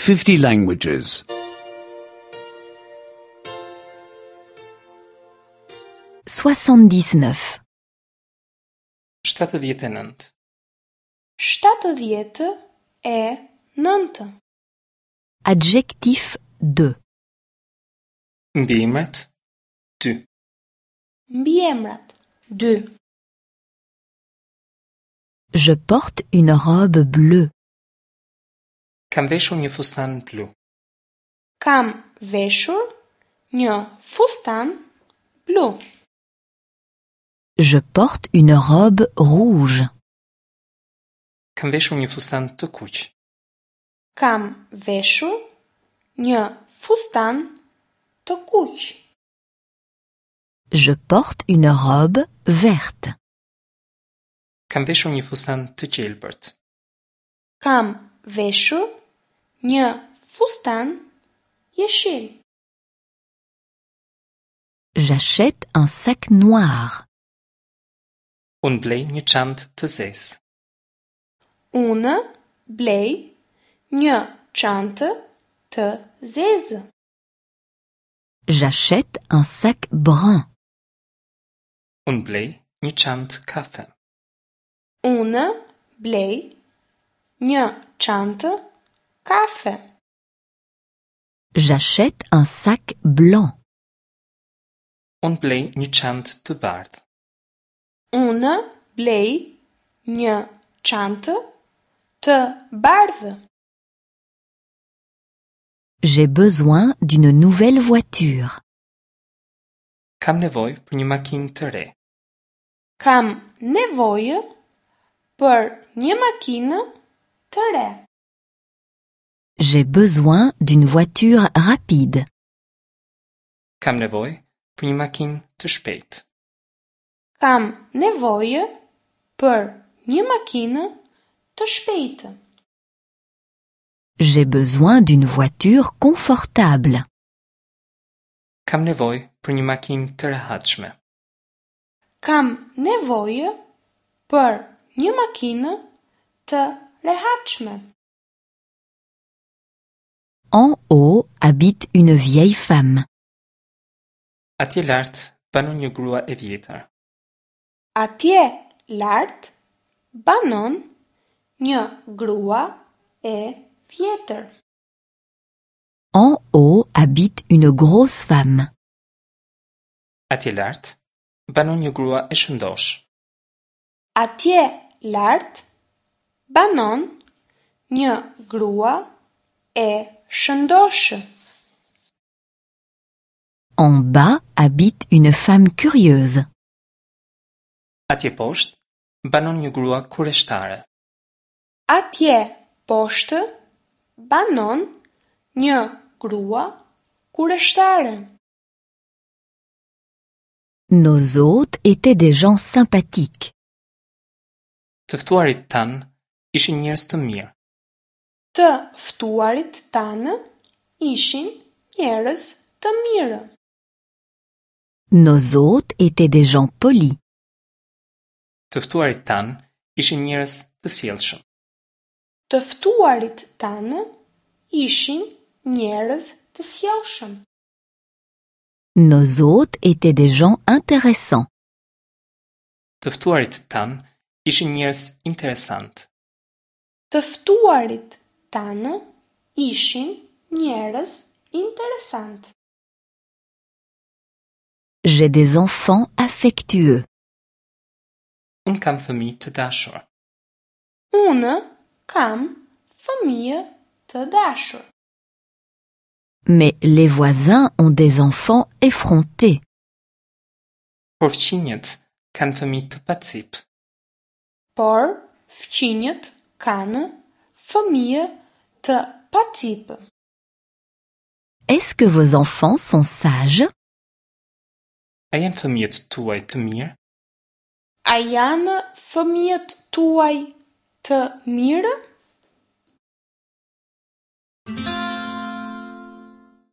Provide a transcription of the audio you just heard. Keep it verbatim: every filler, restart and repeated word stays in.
fifty languages. soixante-dix-neuf. shtatëdhjetë e nëntë. Shtatëdhjetë e nëntë. Adjectif deux. Mbiemrat dy. Mbiemrat dy. Je porte une robe bleue. Kam veshur një fustan blu. Kam veshur një fustan blu. Je porte une robe rouge. Kam veshur një fustan të kuq. Kam veshur një fustan të kuq. Je porte une robe verte. Kam veshur një fustan të gjelbërt. Kam veshur një fustan jeshil. J'achète un sac noir. Unë blej një çantë të zezë. Unë blej një çantë të zezë. J'achète un sac brun. Unë blej një çantë kafe. Unë blej një çantë kafe. J'achète un sac blanc. Unë blej një çantë të bardhë. Unë blej një çantë të bardhë. J'ai besoin d'une nouvelle voiture. Kam nevojë për një makinë të re. Kam nevojë për një makinë të re. J'ai besoin d'une voiture rapide. Kam nevojë për një makinë të shpejtë. Kam nevojë për një makinë të shpejtë. J'ai besoin d'une voiture confortable. Kam nevojë për një makinë të rehatshme. Kam nevojë për një makinë të rehatshme. En haut habite une vieille femme. Atje lart banon një grua e vjetër. Atje lart banon një grua e vjetër. En haut habite une grosse femme. Atje lart banon një grua e shëndosh. Atje lart banon një grua e shëndoshë. En bas habite une femme curieuse. Atje poshtë banon një grua kureshtare. Atje poshtë banon një grua kureshtare. Nos hôtes étaient des gens sympathiques. Të ftuarit tanë ishin njerëz të mirë. Të ftuarit tanë ishin njerëz të mirë. Nos hôtes étaient des gens polis. Të ftuarit tanë ishin njerëz të sjellshëm. Të ftuarit tanë ishin njerëz të sjellshëm. Nos hôtes étaient des gens intéressants. Të ftuarit tanë ishin njerëz interesant. Të ftuarit tanë ishin njerëz interesant. J'ai des enfants affectueux. Unë kam fëmijë të dashur. Unë kam fëmijë të dashur. Mais les voisins ont des enfants effrontés. Por fqinjët kanë fëmijë të pacip. Por fqinjët kanë fëmijë të pacip. Est-ce que vos enfants sont sages? A janë fëmijët tuaj të mirë? A janë fëmijët tuaj të mirë?